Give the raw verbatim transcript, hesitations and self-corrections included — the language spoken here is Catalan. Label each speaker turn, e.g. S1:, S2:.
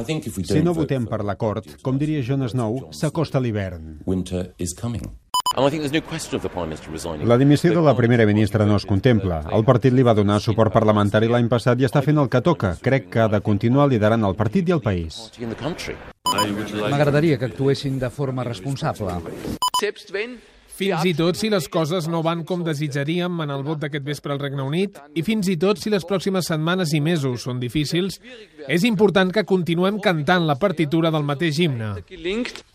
S1: Si no votem per l'acord, com diria Jon Snow, s'acosta l'hivern. La dimissió de la primera ministra no es contempla. El partit li va donar suport parlamentari l'any passat i està fent el que toca. Crec que ha de continuar liderant el partit i el país.
S2: M'agradaria que actuessin de forma responsable.
S3: Fins i tot si les coses no van com desitjaríem en el vot d'aquest vespre al Regne Unit, i fins i tot si les pròximes setmanes i mesos són difícils, és important que continuem cantant la partitura del mateix himne.